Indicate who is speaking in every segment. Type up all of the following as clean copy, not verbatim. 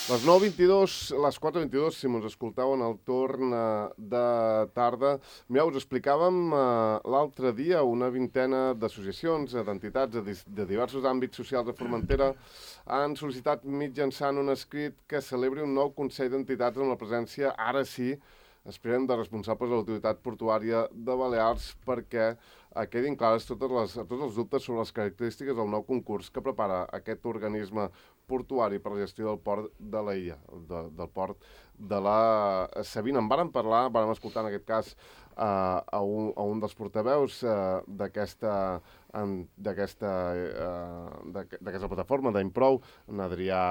Speaker 1: Les 9:22, les 4:22, si ens escolteu en el torn de tarda. Mireu, us explicàvem l'altre dia una vintena d'associacions, d'entitats de diversos àmbits socials de Formentera han sol·licitat mitjançant un escrit que celebri un nou Consell d'Entitats amb la presència, ara sí, esperem, de responsables de l'autoritat portuària de Balears perquè quedin clares tots els dubtes sobre les característiques del nou concurs que prepara aquest organisme portuari per la gestió del port de l'illa, del port de la Sabina. En vàrem parlar, vàrem escoltar en aquest cas a un dels portaveus d'aquesta plataforma d'Improu, en Adrià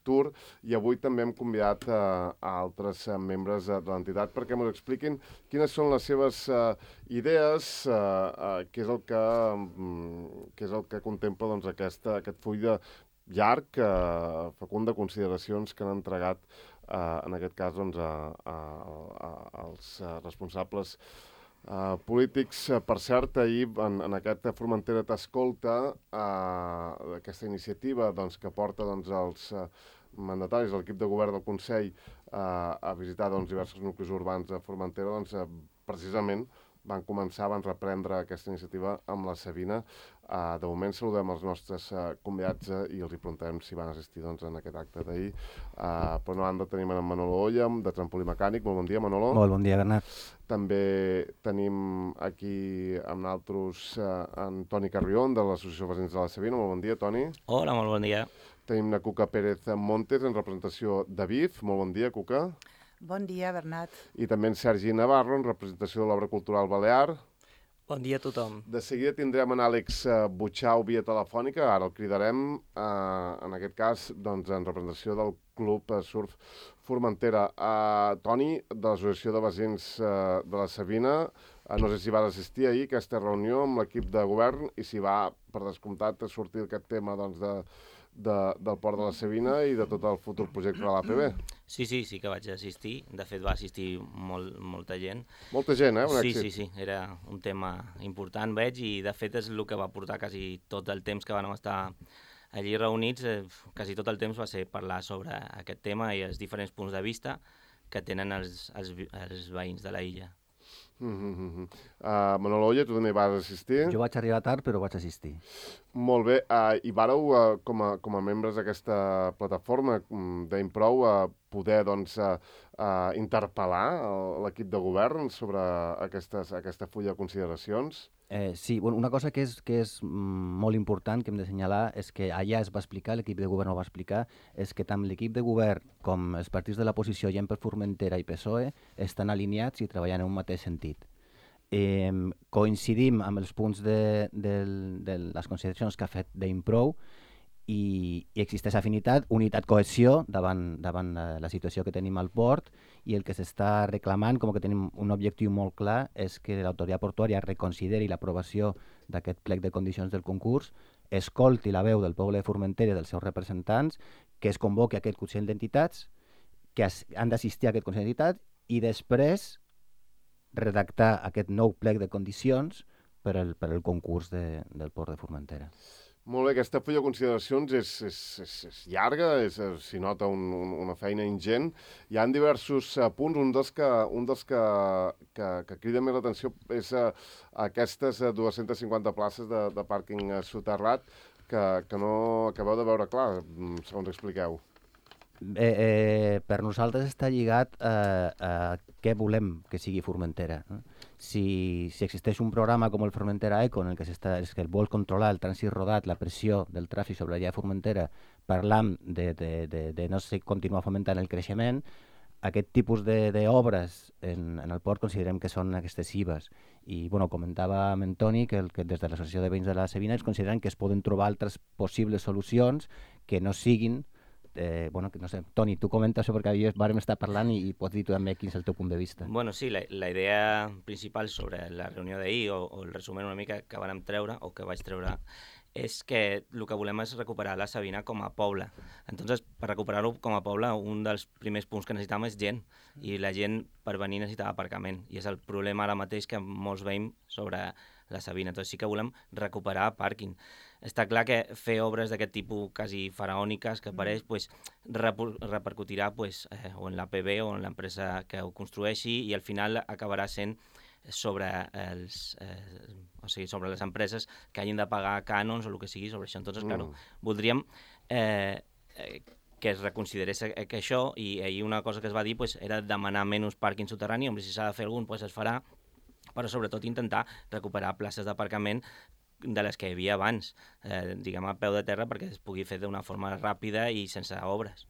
Speaker 1: Tur, i avui també hem convidat a altres membres de l'entitat perquè ens expliquin quines són les seves idees, què és el que contempla doncs, aquest full de llarg, fecund de consideracions que han entregat en aquest cas doncs, als responsables polítics. Per cert, ahir en aquest Formentera t'escolta, aquesta iniciativa doncs, que porta doncs, els mandataris de l'equip de govern del Consell a visitar doncs, diversos nuclis urbans de Formentera, doncs, precisament van reprendre aquesta iniciativa amb la Sabina. De moment saludem els nostres convidats i els hi preguntarem si van assistir doncs, en aquest acte d'ahir. Per una banda tenim en Manolo Olla, de Trampolí Mecànic. Molt bon dia, Manolo.
Speaker 2: Molt bon dia, Bernat.
Speaker 1: També tenim aquí amb nosaltres en Toni Carrión, de l'Associació de Veïns de la Sabina. Molt bon dia, Toni.
Speaker 3: Hola, molt bon dia.
Speaker 1: Tenim la Cuca Pérez Montes, en representació de BIF. Molt bon dia, Cuca.
Speaker 4: Bon dia, Bernat.
Speaker 1: I també en Sergi Navarro, en representació de l'Obra Cultural Balear.
Speaker 3: Bon dia a tothom.
Speaker 1: De seguida tindrem en Àlex Butxau via telefònica, ara el cridarem, en aquest cas doncs, en representació del Club Surf Formentera. Toni, de l'Associació de Veïns de la Sabina, no sé si vas assistir ahir a aquesta reunió amb l'equip de govern i si va, per descomptat, sortir aquest tema doncs, del port de la Sabina i de tot el futur projecte de l'APB.
Speaker 3: Sí que vaig assistir. De fet, va assistir molta gent.
Speaker 1: Molta gent, un èxit.
Speaker 3: Sí, era un tema important, veig, i de fet és el que va portar quasi tot el temps que vam estar allí reunits. Quasi tot el temps va ser parlar sobre aquest tema i els diferents punts de vista que tenen els veïns de la illa.
Speaker 1: Manolo Olla, tu també vas assistir?
Speaker 2: Jo vaig arribar tard, però vaig assistir.
Speaker 1: Molt bé. I vàreu, com a membres d'aquesta plataforma d'Improu, poder doncs, interpel·lar l'equip de govern sobre aquesta fulla de consideracions?
Speaker 2: Sí, una cosa que és molt important que hem de assenyalar és que allà es va explicar, l'equip de govern ho va explicar, és que tant l'equip de govern com els partits de l'oposició, Gent per Formentera i PSOE, estan alineats i treballant en un mateix sentit. Coincidim amb els punts de les consideracions que ha fet d'Improu i existeix afinitat, unitat, cohesió davant la situació que tenim al port, i el que s'està reclamant, com que tenim un objectiu molt clar, és que l'autoritat portuària reconsideri l'aprovació d'aquest plec de condicions del concurs, escolti la veu del poble de Formentera i dels seus representants, que es convoqui aquest Consell d'Entitats, que han d'assistir a aquest Consell d'Entitats, i després redactar aquest nou plec de condicions per al concurs del port de Formentera.
Speaker 1: Molt bé, aquesta fulla de consideracions és llarga, s'hi nota una feina ingent. Hi ha diversos punts, un dels que crida més l'atenció és aquestes 250 places de pàrquing soterrat que no acabeu de veure clar, segons expliqueu.
Speaker 2: Per nosaltres està lligat a què volem que sigui Formentera. Si existeix un programa com el Formentera Eco, en el que es vol controlar el trànsit rodat, la pressió del tràfic sobre la Formentera, parlant de no continuar fomentant el creixement, aquest tipus d'obres en el port considerem que són excessives. I comentava amb en Toni que des de l'Associació de Veïns de la Sabina es consideren que es poden trobar altres possibles solucions que no siguin no sé, Toni, tu comenta això perquè ahir vàrem estar parlant i pots dir tu també quin és el teu punt de vista.
Speaker 3: Sí, la idea principal sobre la reunió d'ahir, o el resum una mica que vàrem treure, o que vaig treure, és que el que volem és recuperar la Sabina com a poble. Entonces, per recuperar-ho com a poble, un dels primers punts que necessitàvem és gent, i la gent per venir necessitava aparcament, i és el problema ara mateix que molts veiem sobre la Sabina. Entonces sí que volem recuperar pàrquing. està clar que fer obres d'aquest tipus quasi faraòniques que apareix pues, repercutirà pues, o en l'APB o en l'empresa que ho construeixi i al final acabarà sent sobre sobre les empreses que hagin de pagar cànons o el que sigui sobre això. Entonces, claro, voldríem que es reconsiderés que això, i ahir una cosa que es va dir pues, era demanar menys pàrquing soterrani, si s'ha de fer algun pues, es farà, però sobretot intentar recuperar places d'aparcament de les que hi havia abans, diguem a peu de terra, perquè es pugui fer d'una forma ràpida i sense obres.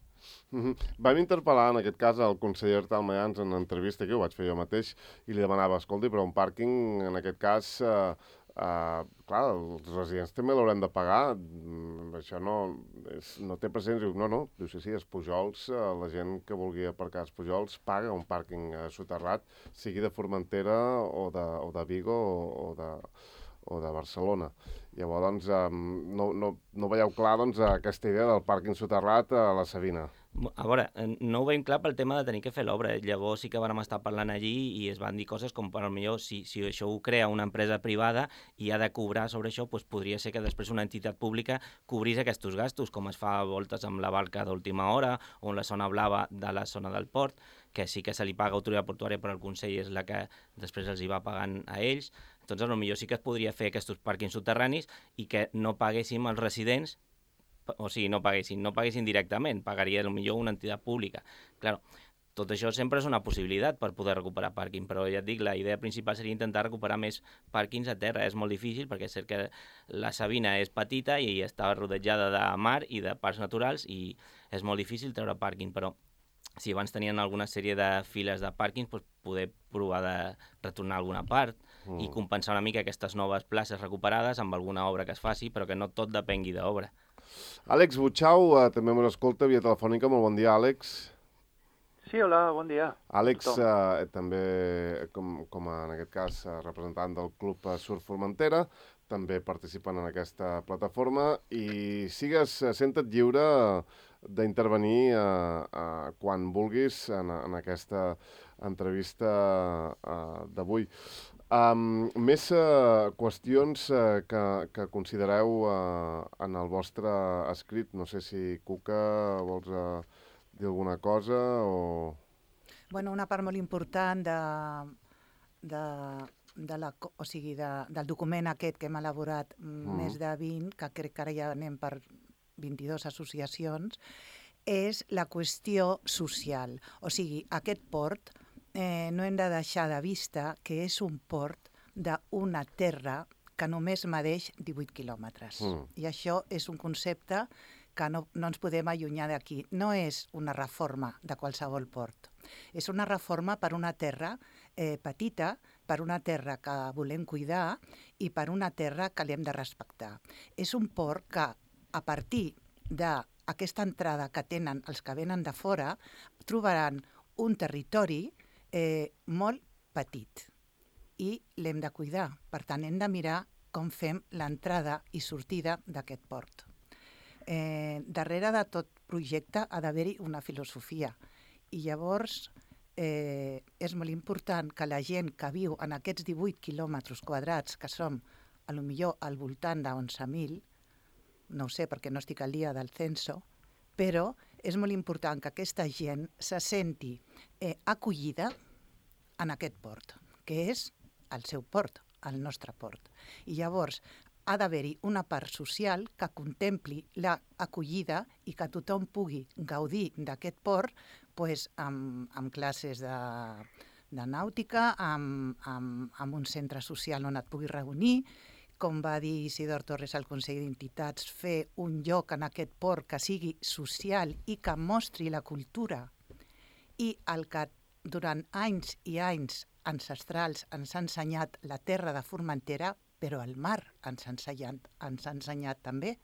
Speaker 1: Vam interpel·lar, en aquest cas, el conseller Artal Mayans en entrevista, que ho vaig fer jo mateix, i li demanava, escolti, però un pàrquing, en aquest cas, clar, els residents també l'haurem de pagar, això no té present, diu, no, diu, sí, els Pujols, la gent que vulgui aparcar els Pujols paga un pàrquing soterrat, sigui de Formentera o de Vigo o de Barcelona. Llavors, no veieu clar aquesta idea del pàrquing soterrat a la Savina.
Speaker 3: A veure, no ho veiem clar pel tema de tenir que fer l'obra. Llavors sí que vam estar parlant allí i es van dir coses com, per millor, si això ho crea una empresa privada i ha de cobrar sobre això, doncs podria ser que després una entitat pública cobrís aquests gastos, com es fa a voltes amb la barca d'última hora o en la zona blava de la zona del port, que sí que se li paga a autoritat portuària, però el Consell és la que després els hi va pagant a ells. Doncs potser sí que es podria fer aquests pàrquings soterranis i que no paguéssim els residents, o sigui, no paguessin directament, pagaria potser una entitat pública. Claro, tot això sempre és una possibilitat per poder recuperar pàrquing, però ja et dic, la idea principal seria intentar recuperar més pàrquings a terra. És molt difícil perquè és cert que la Savina és petita i està rodejada de mar i de parcs naturals i és molt difícil treure pàrquing, però si abans tenien alguna sèrie de files de pàrquings, doncs poder provar de retornar alguna part i compensar una mica aquestes noves places recuperades amb alguna obra que es faci, però que no tot depengui d'obra.
Speaker 1: Àlex Butxau, també m'ho escolta via telefònica. Molt bon dia, Àlex.
Speaker 4: Sí, hola, bon dia.
Speaker 1: Àlex, també, com en aquest cas, representant del Club Surf Formentera, també participant en aquesta plataforma i senta't lliure d'intervenir quan vulguis en aquesta entrevista d'avui. Més qüestions que considereu en el vostre escrit. No sé si Cuca vols dir alguna cosa o...
Speaker 5: Bueno, una part molt important del document aquest que hem elaborat, més de 20, que crec que ara ja anem per 22 associacions, és la qüestió social. O sigui, aquest port no hem de deixar de vista que és un port d'una terra que només medeix 18 quilòmetres. I això és un concepte que no ens podem allunyar d'aquí. No és una reforma de qualsevol port. És una reforma per una terra petita, per una terra que volem cuidar i per una terra que l'hem de respectar. És un port que, a partir d'aquesta entrada que tenen els que venen de fora, trobaran un territori molt petit i l'hem de cuidar. Per tant, hem de mirar com fem l'entrada i sortida d'aquest port. Darrere de tot projecte ha d'haver-hi una filosofia i llavors és molt important que la gent que viu en aquests 18 quilòmetres quadrats, que som potser al voltant de 11.000, no ho sé perquè no estic al dia del censo, però és molt important que aquesta gent se senti acollida en aquest port, que és el seu port, el nostre port. I llavors ha d'haver-hi una part social que contempli l'acollida i que tothom pugui gaudir d'aquest port amb classes de nàutica, amb un centre social on et puguis reunir, com va dir Isidor Torres al Consell d'Entitats, fer un lloc en aquest port que sigui social i que mostri la cultura i el que durant anys i anys ancestrals ens ha ensenyat la terra de Formentera, però el mar ens ha ensenyat també.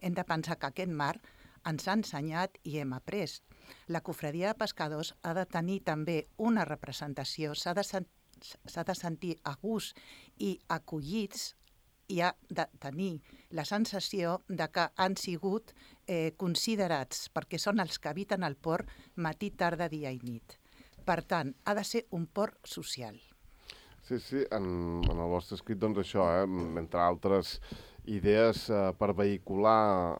Speaker 5: Hem de pensar que aquest mar ens ha ensenyat i hem après. La cofradia de pescadors ha de tenir també una representació, s'ha de sentir a gust i acollits i ha de tenir la sensació de que han sigut considerats, perquè són els que habiten el port matí, tarda, dia i nit. Per tant, ha de ser un port social.
Speaker 1: Sí, en el vostre escrit, doncs això, entre altres idees per vehicular,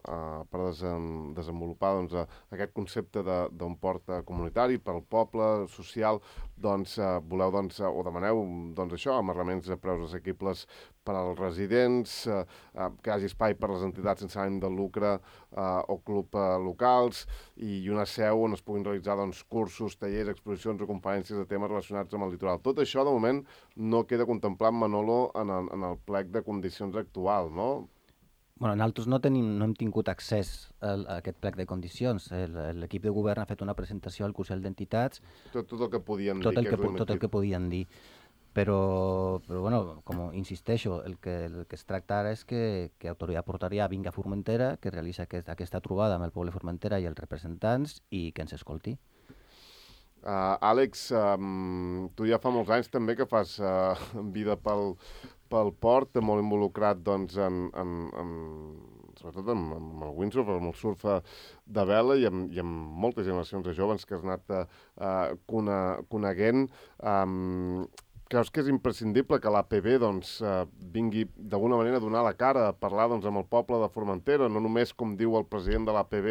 Speaker 1: per desenvolupar doncs, aquest concepte d'un port comunitari pel poble, social, doncs voleu doncs, o demaneu doncs, això, amarraments a preus assequibles per als residents, que hi hagi espai per les entitats sense ànim de lucre o club locals i una seu on es puguin realitzar doncs, cursos, tallers, exposicions o conferències de temes relacionats amb el litoral. Tot això, de moment, no queda contemplat, Manolo, en el plec de condicions actual, no?
Speaker 2: Bueno, nosaltres no hem tingut accés a aquest plec de condicions. L'equip de govern ha fet una presentació al Consell d'Entitats.
Speaker 1: Tot el que podien dir.
Speaker 2: Tot el que podien dir. Però bueno, com insisteixo, el que es tracta ara és que Autoritat Portuària vingui a Formentera, que realitzi aquesta trobada amb el poble de Formentera i els representants i que ens escolti.
Speaker 1: Àlex, tu ja fa molts anys també que fas vida pel port, molt involucrat doncs, sobretot amb el windsurf, amb el surf de vela i amb moltes generacions de joves que has anat coneguent. Creus que és imprescindible que l'APB doncs, vingui d'alguna manera a donar la cara, a parlar doncs, amb el poble de Formentera, no només, com diu el president de l'APB,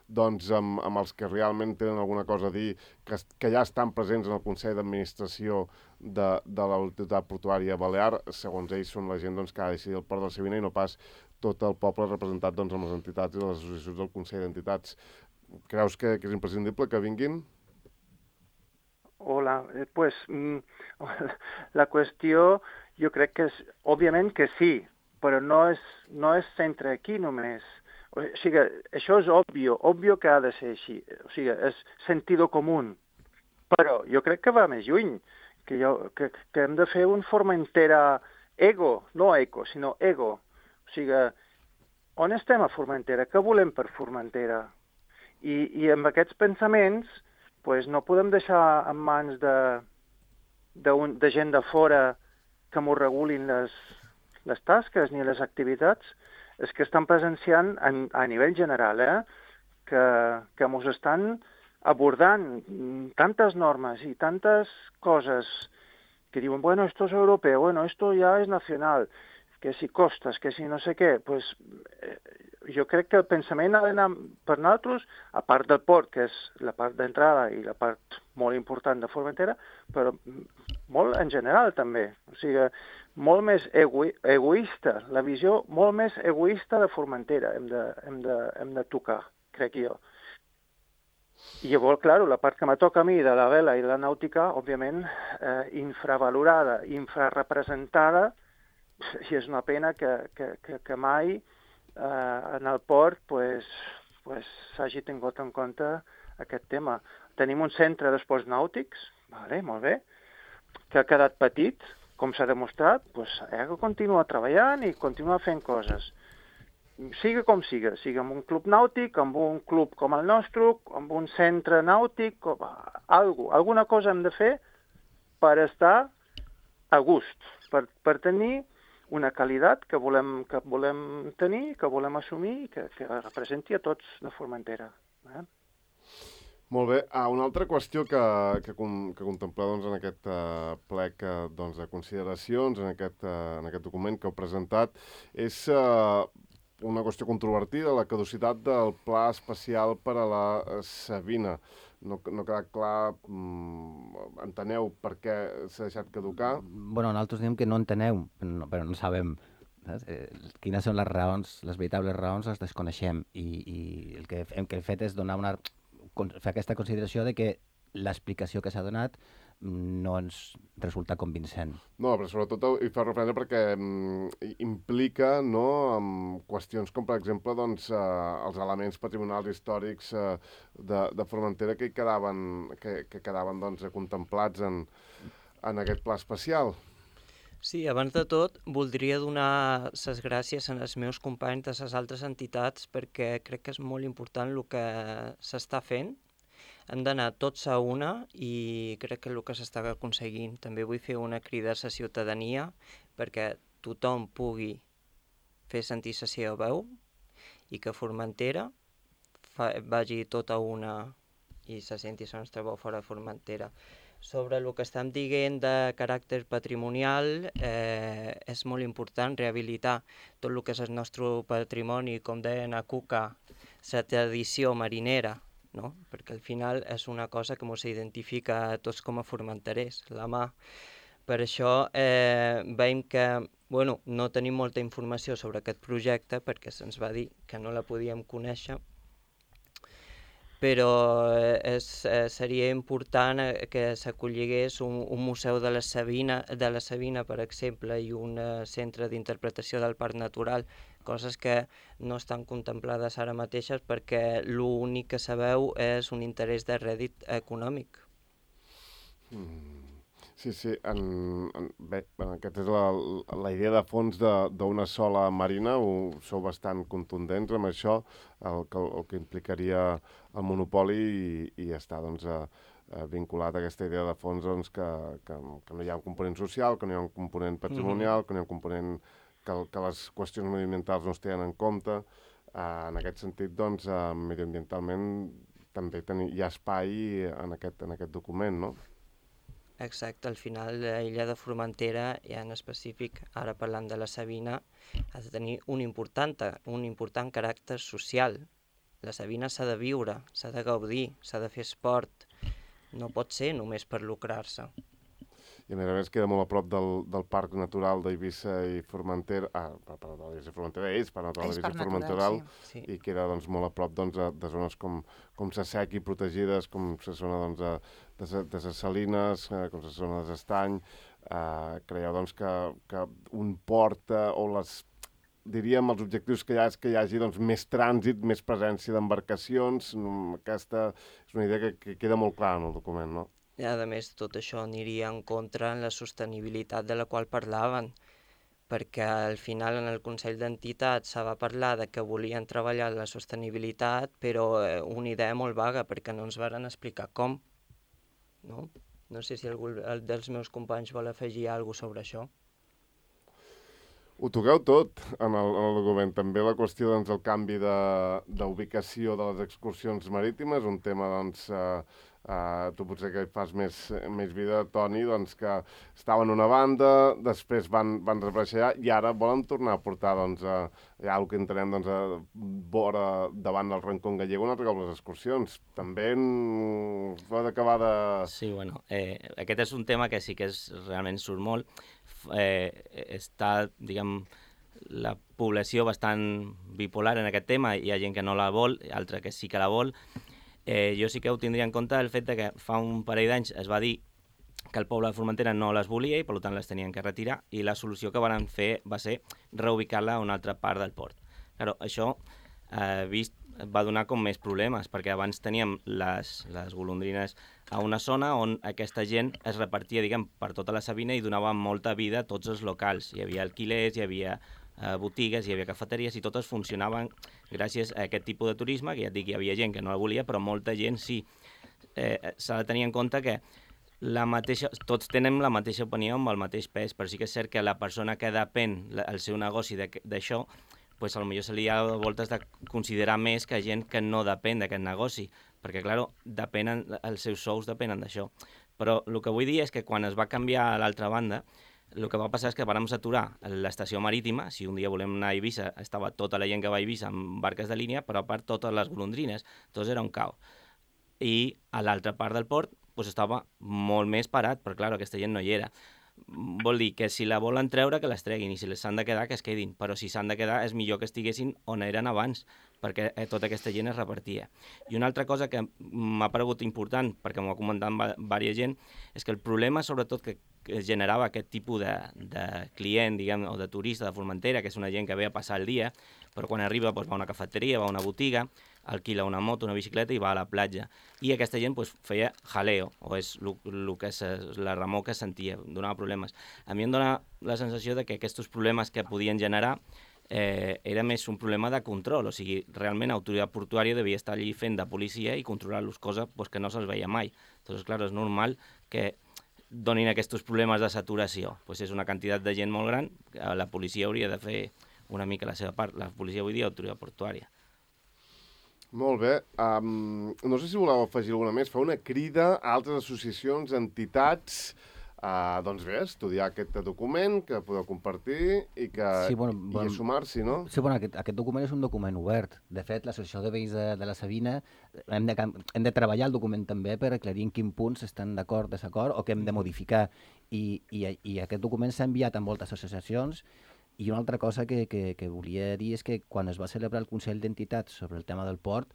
Speaker 1: doncs, amb els que realment tenen alguna cosa a dir, que ja estan presents en el Consell d'Administració de l'Autoritat Portuària Balear, segons ells són la gent doncs, que ha de decidir el port de Sevilla i no pas tot el poble representat doncs, amb les entitats i les associacions del Consell d'Entitats. Creus que és imprescindible que vinguin?
Speaker 4: Hola, pues la qüestió jo crec que és, òbviament que sí, però no és centre aquí només. O sigui, això és òbvio que ha de ser així, o sigui, és sentido común, però jo crec que va més lluny, que hem de fer un Formentera ego, no eco, sinó ego. O sigui, on estem a Formentera? Què volem per Formentera? I amb aquests pensaments pues no podem deixar en mans de gent de fora que m'ho regulin les tasques ni les activitats. És que estan presenciant a nivell general, que mos estan abordant tantes normes i tantes coses que diuen, bueno, esto es europeo, bueno, esto ya es nacional, que si costes, que si no sé què, pues jo crec que el pensament ha d'anar per nosaltres, a part del port, que és la part d'entrada i la part molt important de Formentera, però molt en general també. O sigui, molt més egoista, la visió molt més egoista de Formentera hem de tocar, crec jo. I llavors, clar, la part que me toca a mi de la vela i la nàutica, òbviament, infravalorada, infrarrepresentada, i és una pena que mai en el port s'hagi tingut en compte aquest tema. Tenim un centre d'esports nàutics, molt bé, que ha quedat petit, com s'ha demostrat, ha de continuar treballant i continuar fent coses. Siga com siga, sigui amb un club nàutic, amb un club com el nostre, amb un centre nàutic, alguna cosa hem de fer per estar a gust, per tenir una qualitat que volem tenir, que volem assumir i que representi a tots de Formentera.
Speaker 1: Molt bé. Una altra qüestió que contempleu doncs, en aquest plec doncs, de consideracions, en aquest document que heu presentat, és una qüestió controvertida, la caducitat del Pla Especial per a la Savina. No ha quedat clar, enteneu per què s'ha deixat caducar?
Speaker 2: Bueno, nosaltres diem que no enteneu, però no sabem. Quines són les raons, les veritables raons les desconeixem i el que hem fet és fer aquesta consideració de que l'explicació que s'ha donat no ens resulta convincent.
Speaker 1: No, però sobretot hi fa referència perquè implica qüestions com, per exemple, doncs, els elements patrimonials històrics de Formentera que quedaven doncs, contemplats en aquest pla especial.
Speaker 6: Sí, abans de tot, voldria donar les gràcies als meus companys de les altres entitats perquè crec que és molt important el que s'està fent. Hem d'anar tots a una i crec que és el que s'està aconseguint. També vull fer una crida a la ciutadania perquè tothom pugui fer sentir la seva veu i que Formentera vagi tota una i se senti la nostra veu fora de Formentera. Sobre el que estem dient de caràcter patrimonial, és molt important rehabilitar tot el que és el nostre patrimoni, com deien a Cuca, la tradició marinera, no? Perquè al final és una cosa que ens identifica a tots com a formenterers, la mà. Per això veiem que no tenim molta informació sobre aquest projecte perquè se'ns va dir que no la podíem conèixer, però seria important que s'acolligués un museu de la Sabina, per exemple, i un centre d'interpretació del parc natural, coses que no estan contemplades ara mateixes perquè l'únic que sabeu és un interès de rèdit econòmic.
Speaker 1: Sí, bé, aquesta és la idea de fons d'una sola marina, sou bastant contundents amb això, el que implicaria el monopoli i està vinculat a aquesta idea de fons que no hi ha un component social, que no hi ha un component patrimonial, que no hi ha un component que les qüestions mediambientals no es tenen en compte. En aquest sentit, mediambientalment també hi ha espai en aquest document, no?
Speaker 6: Exacte, al final l'illa de Formentera, ja en específic, ara parlant de la Sabina, ha de tenir un important caràcter social. La Sabina s'ha de viure, s'ha de gaudir, s'ha de fer esport, no pot ser només per lucrar-se.
Speaker 1: I a més queda molt a prop del Parc Natural d'Eivissa i Formentera, d'Eivissa i Formentera, Parc Natural d'Eivissa i Formentera, sí. I queda molt a prop de zones com Sa Sec i protegides, com la zona de Ses Salines, com la zona de Estany. Creieu que un port o diríem els objectius que hi ha és que hi hagi més trànsit, més presència d'embarcacions. Aquesta és una idea que queda molt clara en el document, no?
Speaker 6: I a més, tot això aniria en contra en la sostenibilitat de la qual parlaven, perquè al final en el Consell d'Entitats se va parlar de que volien treballar la sostenibilitat, però una idea molt vaga, perquè no ens van explicar com. No sé si algú dels meus companys vol afegir alguna cosa sobre això.
Speaker 1: Ho toqueu tot en el document. També la qüestió del canvi d'ubicació de les excursions marítimes, un tema tu potser que hi fas més vida, Toni, que estaven en una banda, després van desaparèixer i ara volen tornar a portar ja el que entenem vora davant del Rincón Gallego on arriben les excursions. També pot acabar de...
Speaker 3: Sí, aquest és un tema que sí que realment surt molt. Està, diguem, la població bastant bipolar en aquest tema. Hi ha gent que no la vol, altra que sí que la vol. Jo sí que ho tindria en compte el fet que fa un parell d'anys es va dir que el poble de Formentera no les volia i per tant les tenien que retirar i la solució que van fer va ser reubicar-la a una altra part del port. Claro, això va donar com més problemes perquè abans teníem les golondrines a una zona on aquesta gent es repartia, diguem, per tota la Sabina i donava molta vida a tots els locals. Hi havia alquilers, hi havia botigues, hi havia cafeteries i totes funcionaven gràcies a aquest tipus de turisme, que ja et dic, hi havia gent que no la volia, però molta gent sí. S'ha de tenir en compte que tots tenen la mateixa opinió amb el mateix pes, però sí que és cert que la persona que depèn el seu negoci d'això, pues, potser se li ha de voltes de considerar més que gent que no depèn d'aquest negoci, perquè, clar, els seus sous depenen d'això. Però el que vull dir és que quan es va canviar a l'altra banda, el que va passar és que vam saturar l'estació marítima. Si un dia volem anar a Eivissa, estava tota la gent que va a Eivissa amb barques de línia, però a part totes les golondrines. Tot era un caos. I a l'altra part del port estava molt més parat, però clar, aquesta gent no hi era. Vol dir que si la volen treure, que les treguin, i si les s'han de quedar, que es quedin. Però si s'han de quedar, és millor que estiguessin on eren abans, perquè tota aquesta gent es repartia. I una altra cosa que m'ha paregut important, perquè m'ho ha comentat diversa gent, és que el problema, sobretot, que generava aquest tipus de client, diguem, o de turista de Formentera, que és una gent que ve a passar el dia, però quan arriba va a una cafeteria, va a una botiga, alquila una moto, una bicicleta i va a la platja. I aquesta gent feia jaleo, o és la remor que sentia, donava problemes. A mi em dona la sensació de que aquests problemes que podien generar era més un problema de control, o sigui, realment l'autoritat portuària devia estar allí fent de policia i controlar-los, cosa que no se'ls veia mai. Entonces, clar, és normal que donin aquests problemes de saturació. És una quantitat de gent molt gran, la policia hauria de fer una mica la seva part. La policia, vull dir, l'autoritat portuària.
Speaker 1: Molt bé. No sé si voleu afegir alguna més. Fa una crida a altres associacions, entitats, doncs bé, estudiar aquest document que podeu compartir i a sumar-s'hi, no?
Speaker 2: Sí, bueno, aquest document és un document obert. De fet, l'Associació de Veïns de la Sabina hem de treballar el document també per aclarir en quin punts estan d'acord, desacord o què hem de modificar. I aquest document s'ha enviat a moltes associacions. I una altra cosa que volia dir és que quan es va celebrar el Consell d'Entitats sobre el tema del port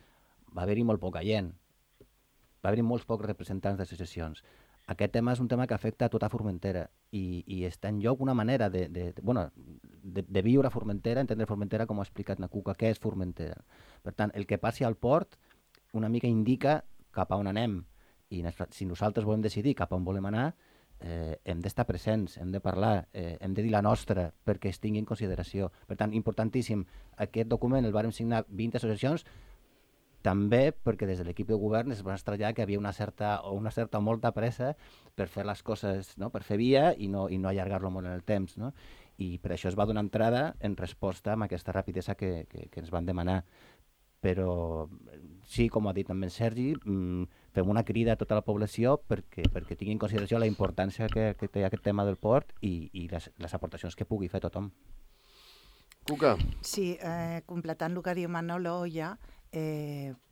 Speaker 2: va haver-hi molt poca gent. Va haver-hi molts pocs representants d'associacions. Aquest tema és un tema que afecta a tota Formentera i està en lloc una manera de viure a Formentera, entendre Formentera, com ha explicat na Cuca, què és Formentera. Per tant, el que passi al port una mica indica cap a on anem. I si nosaltres volem decidir cap a on volem anar, hem d'estar presents, hem de parlar, hem de dir la nostra perquè es tingui en consideració. Per tant, importantíssim, aquest document el vàrem signar 20 associacions, també perquè des de l'equip de govern es va estranyar que havia una certa o molta pressa per fer les coses, no? Per fer via i no allargar-lo molt en el temps, no? I per això es va donar entrada en resposta amb aquesta rapidesa que ens van demanar. Però sí, com ha dit també en Sergi, fem una crida a tota la població perquè tingui en consideració la importància que té aquest tema del port i les aportacions que pugui fer tothom.
Speaker 1: Cuca.
Speaker 5: Sí, completant el que diu Manolo Olla,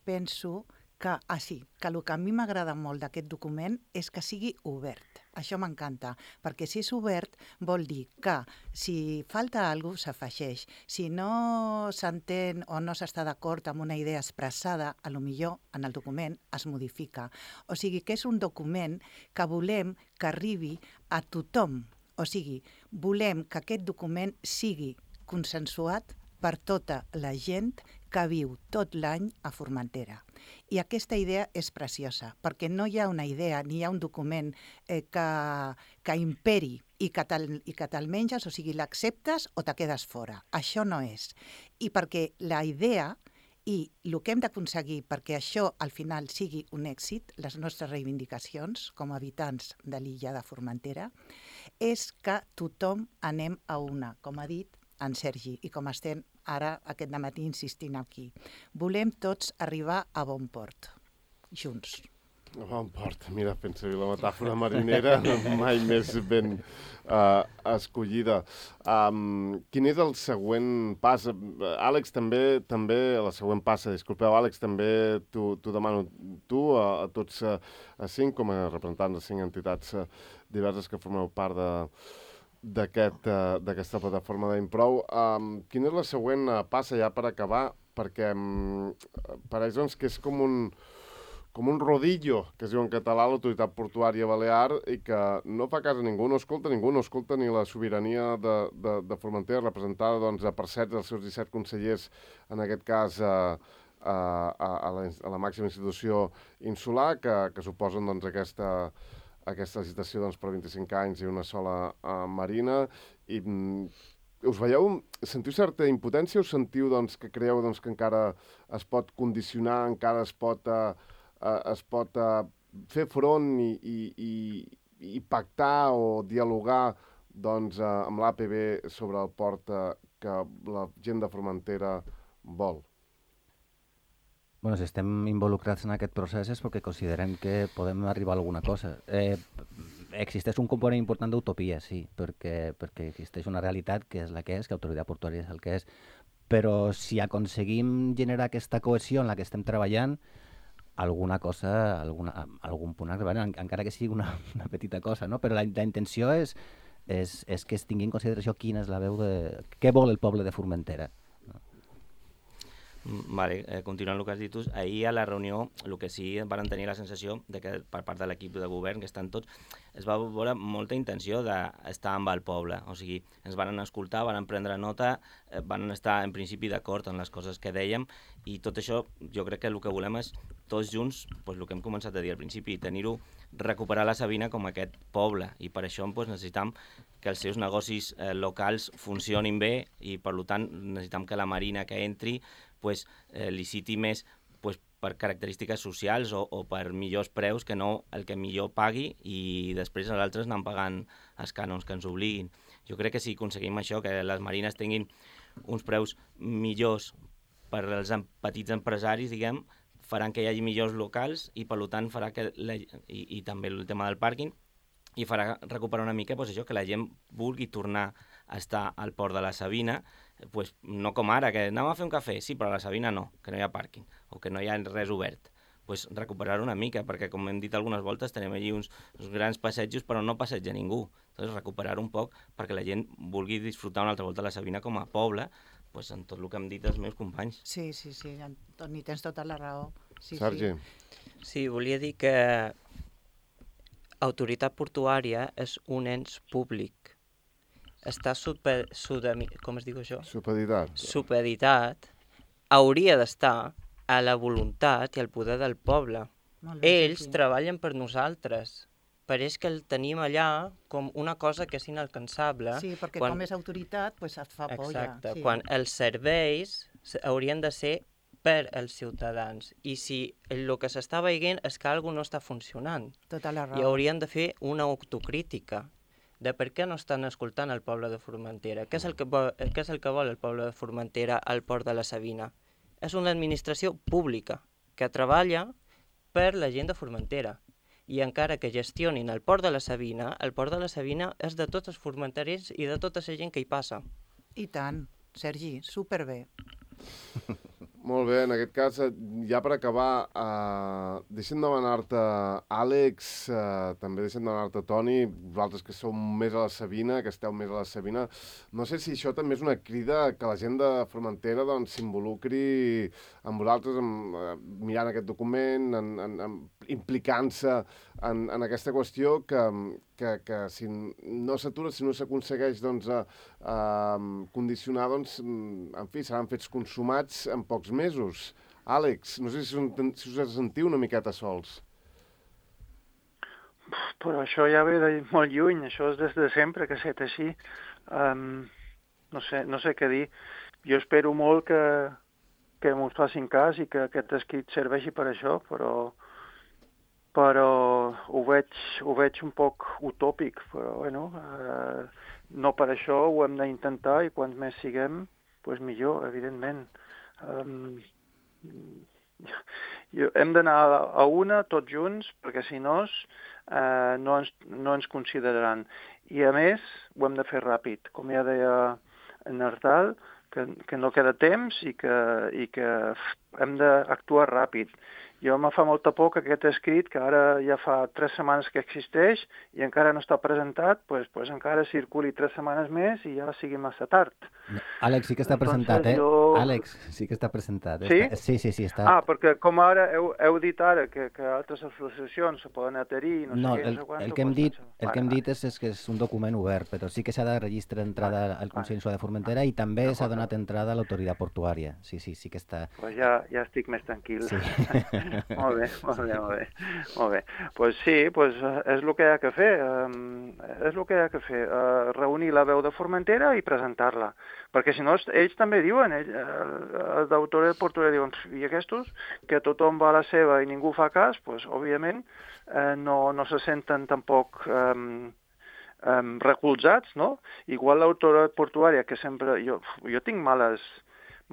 Speaker 5: penso que el que a mi m'agrada molt d'aquest document és que sigui obert. Això m'encanta, perquè si és obert vol dir que si falta alguna cosa s'afegeix. Si no s'entén o no s'està d'acord amb una idea expressada, a lo millor en el document es modifica. O sigui que és un document que volem que arribi a tothom. O sigui, volem que aquest document sigui consensuat per tota la gent que viu tot l'any a Formentera. I aquesta idea és preciosa, perquè no hi ha una idea ni hi ha un document que imperi i que te'l menges, o sigui, l'acceptes o te quedes fora. Això no és. I perquè la idea i el que hem d'aconseguir perquè això al final sigui un èxit, les nostres reivindicacions com a habitants de l'illa de Formentera, és que tothom anem a una, com ha dit en Sergi, i com estem ara aquest dematí insistint aquí. Volem tots arribar a bon port, junts.
Speaker 1: A bon port, mira, fent servir la metàfora marinera, mai més ben escollida. Quin és el següent pas? Àlex, també la següent passa, disculpeu, Àlex, també t'ho demano a tots 5, com a representants de 5 entitats diverses que formeu part d'aquesta plataforma d'Improu. Quina és la següent passa ja per acabar? Perquè pareix doncs, que és com un rodillo, que es diu en català, l'autoritat portuària balear, i que no fa cas a ningú, no escolta ningú, no escolta ni la sobirania de Formentera, representada doncs, per 7 dels seus 17 consellers, en aquest cas a la màxima institució insular, que suposen doncs, aquesta licitació doncs, per 25 anys i una sola marina. I us veieu, sentiu certa impotència o sentiu doncs, que creieu doncs, que encara es pot condicionar, encara es pot fer front i pactar o dialogar doncs, amb l'APB sobre el port que la gent de Formentera vol?
Speaker 2: Bueno, si estem involucrats en aquest procés és perquè considerem que podem arribar a alguna cosa. Existeix un component important d'utopia, sí, perquè existeix una realitat que és la que és, que l'autoritat portuària és el que és, però si aconseguim generar aquesta cohesió en la que estem treballant, alguna cosa, algun punt arribarà, encara que sigui una petita cosa, no? Però la intenció és que es tingui en consideració quina és la veu de... què vol el poble de Formentera.
Speaker 3: Vale, continuant el que has dit tu, ahir a la reunió el que sí van tenir la sensació de que per part de l'equip de govern, que estan tots, es va veure molta intenció d'estar amb el poble, o sigui, ens van escoltar, van prendre nota, van estar en principi d'acord en les coses que dèiem, i tot això jo crec que el que volem és tots junts, doncs, el que hem començat a dir al principi, recuperar la Sabina com aquest poble, i per això necessitam que els seus negocis locals funcionin bé, i per tant necessitam que la marina que entri liciti més per característiques socials o per millors preus que no el que millor pagui i després els altres anem pagant els cànons que ens obliguin. Jo crec que si aconseguim això, que les marines tinguin uns preus millors per als petits empresaris, diguem, faran que hi hagi millors locals i, per tant, farà que i també el tema del pàrquing, i farà recuperar una mica això, que la gent vulgui tornar a estar al port de la Sabina, no com ara, que anem a fer un cafè, sí, però a la Sabina no, que no hi ha pàrquing, o que no hi ha res obert. Recuperar una mica, perquè, com hem dit algunes voltes, tenim allí uns grans passejos, però no passeja ningú. Entonces, recuperar un poc perquè la gent vulgui disfrutar una altra volta de la Sabina com a poble, en tot el que han dit els meus companys.
Speaker 5: Sí, Toni, tens tota la raó. Sí,
Speaker 1: Sergi.
Speaker 6: Sí, volia dir que Autoritat Portuària és un ens públic. Està com es diu això?
Speaker 1: Supeditat.
Speaker 6: Supeditat. Hauria d'estar a la voluntat i al poder del poble. Ells treballen per nosaltres. Pareix que el tenim allà com una cosa que és inalcançable.
Speaker 5: Sí, perquè com és autoritat, et fa por ja.
Speaker 6: Exacte, quan els serveis haurien de ser per als ciutadans. I si el que s'està veient és que alguna cosa no està funcionant.
Speaker 5: Tota la raó.
Speaker 6: I haurien de fer una autocrítica de per què no estan escoltant el poble de Formentera. Què és el que vol el poble de Formentera al port de la Sabina? És una administració pública que treballa per la gent de Formentera. I encara que gestionin el port de la Sabina és de tots els formenterins i de tota la gent que hi passa.
Speaker 5: I tant, Sergi, superbé.
Speaker 1: Molt bé, en aquest cas, ja per acabar, deixem demanar-te, Àlex, també deixem demanar-te, Toni, vosaltres que sou més a la Sabina, que esteu més a la Sabina, no sé si això també és una crida que la gent de Formentera s'involucri amb vosaltres, mirant aquest document, implicant-se en aquesta qüestió que si no s'atura, si no s'aconsegueix condicionar, en fi, seran fets consumats en pocs mesos. Àlex, no sé si us sentiu una miqueta sols.
Speaker 4: Però això ja ve de molt lluny, això és des de sempre que ha estat així. No sé què dir. Jo espero molt que mos facin cas i que aquest escrit serveixi per això, però ho veig un poc utòpic, però bueno, no per això ho hem d'intentar i quants més siguem, millor, evidentment. Hem d'anar a una tots junts, perquè si no ens consideraran. I a més, ho hem de fer ràpid, com ja deia en Ardal, que no queda temps i que hem d'actuar ràpid. Jo me fa molta por que aquest escrit, que ara ja fa 3 setmanes que existeix i encara no està presentat, pues encara circuli 3 setmanes més i ja sigui massa tard.
Speaker 2: No, Àlex, sí que està presentat, Àlex, sí que està presentat.
Speaker 4: Sí?
Speaker 2: Sí, està.
Speaker 4: Perquè com ara heu dit ara que altres associacions se poden adherir, no sé què, no sé quant...
Speaker 2: El que hem dit és que és un document obert, però sí que s'ha de registrar entrada al Consell de Formentera i també s'ha donat entrada a l'autoritat portuària. Sí que està...
Speaker 4: Pues ja estic més tranquil.
Speaker 2: Sí.
Speaker 4: Molt bé. Pues sí, és el que hi ha que fer. Reunir la veu de Formentera i presentar-la. Perquè si no, ells també diuen, els d'autoritat portuària diuen, i aquests, que tothom va a la seva i ningú fa cas, pues, òbviament no se senten tampoc recolzats, no? Igual l'autoritat portuària, que sempre... Jo tinc males,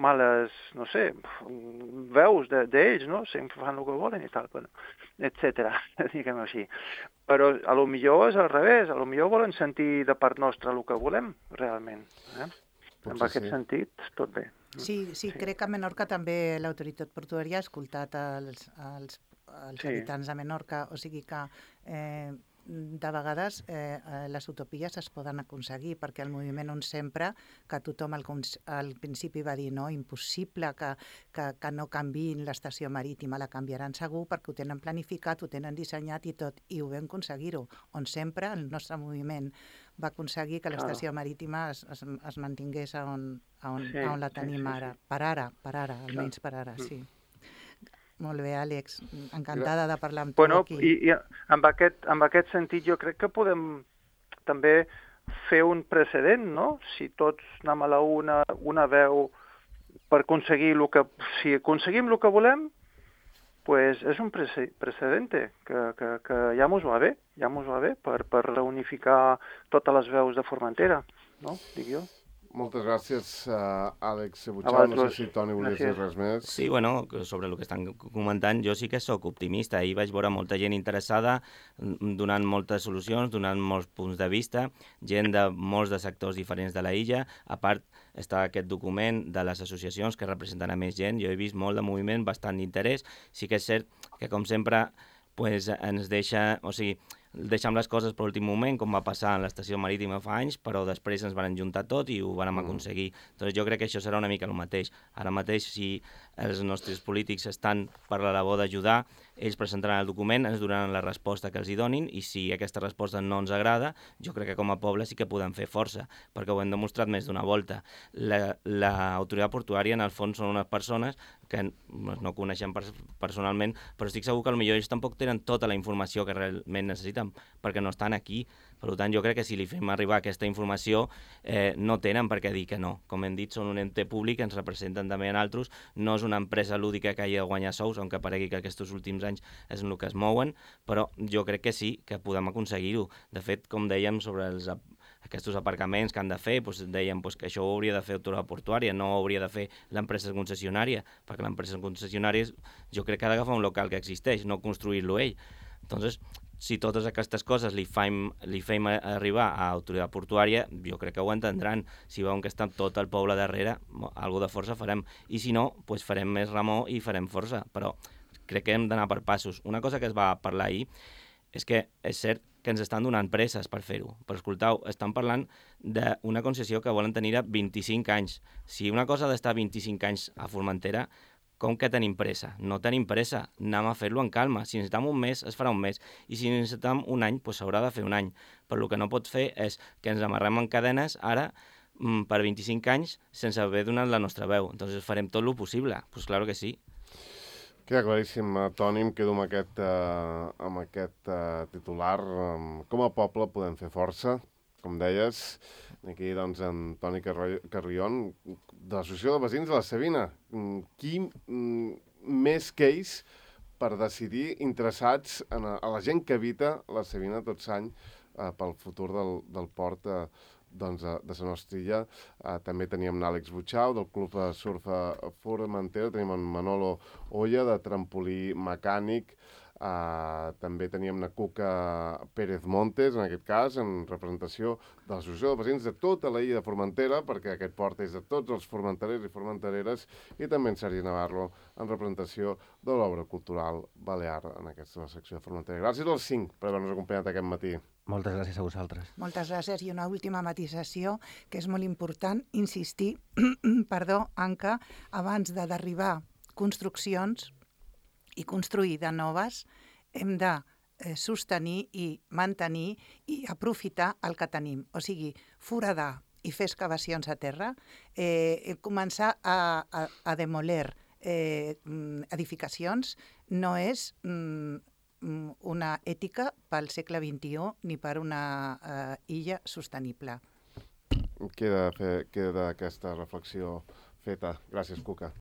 Speaker 4: no sé, veus d'ells, no? Sempre fan el que volen i tal, etcètera, diguem així. Però a lo millor és al revés, a lo millor volen sentir de part nostra el que volem, realment. En aquest sentit, tot bé.
Speaker 5: Sí, crec que a Menorca també l'autoritat portuària ha escoltat els habitants de Menorca, o sigui que de vegades les utopies es poden aconseguir, perquè el moviment on sempre, que tothom al principi va dir no, impossible que no canviïn l'estació marítima, la canviaran segur perquè ho tenen planificat, ho tenen dissenyat i tot, i ho vam aconseguir-ho, on sempre el nostre moviment va aconseguir que l'estació marítima es mantingués on la tenim ara, per ara, almenys per ara, sí. Molt bé, Àlex. Encantada de parlar amb tu aquí.
Speaker 4: I en aquest sentit jo crec que podem també fer un precedent, no? Si tots anem a la una veu per aconseguir si aconseguim el que volem, pues és un precedent que ja mos va bé per reunificar totes les veus de Formentera, no? Dic jo.
Speaker 1: Moltes gràcies, Àlex
Speaker 4: A
Speaker 1: Butxau. No sé
Speaker 4: vosaltres.
Speaker 1: si Toni volies dir
Speaker 4: Gràcies.
Speaker 1: res més.
Speaker 3: Sí, bueno, sobre el que estan comentant, jo sí que sóc optimista. Ahir vaig veure molta gent interessada, donant moltes solucions, donant molts punts de vista, gent de molts de sectors diferents de la illa. A part, està aquest document de les associacions que representen a més gent. Jo he vist molt de moviment, bastant d'interès. Sí que és cert que, com sempre, pues, ens deixa... O sigui, deixem les coses per l'últim moment, com va passar en l'estació marítima fa anys, però després ens van juntar tot i ho vam aconseguir. Doncs jo crec que això serà una mica el mateix. Ara mateix, si els nostres polítics estan per la labor d'ajudar, ells presentaran el document, ens donaran la resposta que els hi donin, i si aquesta resposta no ens agrada, jo crec que com a poble sí que podem fer força, perquè ho hem demostrat més d'una volta. L'autoritat portuària, en el fons, són unes persones que no coneixem personalment, però estic segur que potser ells tampoc tenen tota la informació que realment necessiten, perquè no estan aquí. Per tant, jo crec que si li fem arribar aquesta informació, no tenen per què dir que no. Com hem dit, són un ente públic, ens representen també en altres, no és una empresa lúdica que hagi de guanyar sous, aunque paregui que aquests últims anys és en el que es mouen, però jo crec que sí, que podem aconseguir-ho. De fet, com dèiem sobre aquests aparcaments que han de fer, doncs dèiem que això ho hauria de fer l'autoritat portuària, no ho hauria de fer l'empresa concessionària, perquè l'empresa concessionària jo crec que ha d'agafar un local que existeix, no construir-lo ell. Entonces, si totes aquestes coses li fem arribar a l'autoritat portuària, jo crec que ho entendran. Si veuen que està tot el poble darrere, alguna de força farem. I si no, doncs farem més remor i farem força. Però crec que hem d'anar per passos. Una cosa que es va parlar ahir és que és cert que ens estan donant presses per fer-ho. Però escoltau, estan parlant d'una concessió que volen tenir a 25 anys. Si una cosa ha d'estar 25 anys a Formentera, com que tenim pressa? No tenim pressa, anem a fer-lo en calma. Si necessitem un mes, es farà un mes. I si necessitem un any, doncs s'haurà de fer un any. Però el que no pot fer és que ens amarrem en cadenes ara per 25 anys sense haver donat la nostra veu. Entonces farem tot el possible. Doncs claro que sí.
Speaker 1: Queda claríssim, Toni, em quedo amb aquest titular. Com a poble podem fer força, com deies. Aquí, doncs, en Toni Carrion, de l'Associació de Veïns de la Savina. Qui més que ells per decidir interessats a la gent que habita la Savina tot l'any pel futur del port de la nostra illa. També teníem l'Àlex Butxau, del Club Surf Formentera, tenim en Manolo Olla, de trampolí mecànic, també teníem la Cuca Pérez Montes, en aquest cas, en representació de l'Associació de Veïns de tota la illa de Formentera, perquè aquest port és de tots els formenterers i formentereres, i també en Sergi Navarro, en representació de l'obra cultural balear en aquesta secció de Formentera. Gràcies als 5 per haver-nos acompanyat aquest matí.
Speaker 2: Moltes gràcies a vosaltres.
Speaker 5: Moltes gràcies. I una última matisació, que és molt important, insistir, Anca, abans d'arribar construccions i construir de noves, hem de sostenir i mantenir i aprofitar el que tenim. O sigui, foradar i fer excavacions a terra, començar a demoler edificacions no és una ètica pel segle XXI ni per una illa sostenible.
Speaker 1: Queda aquesta reflexió feta. Gràcies, Cuca.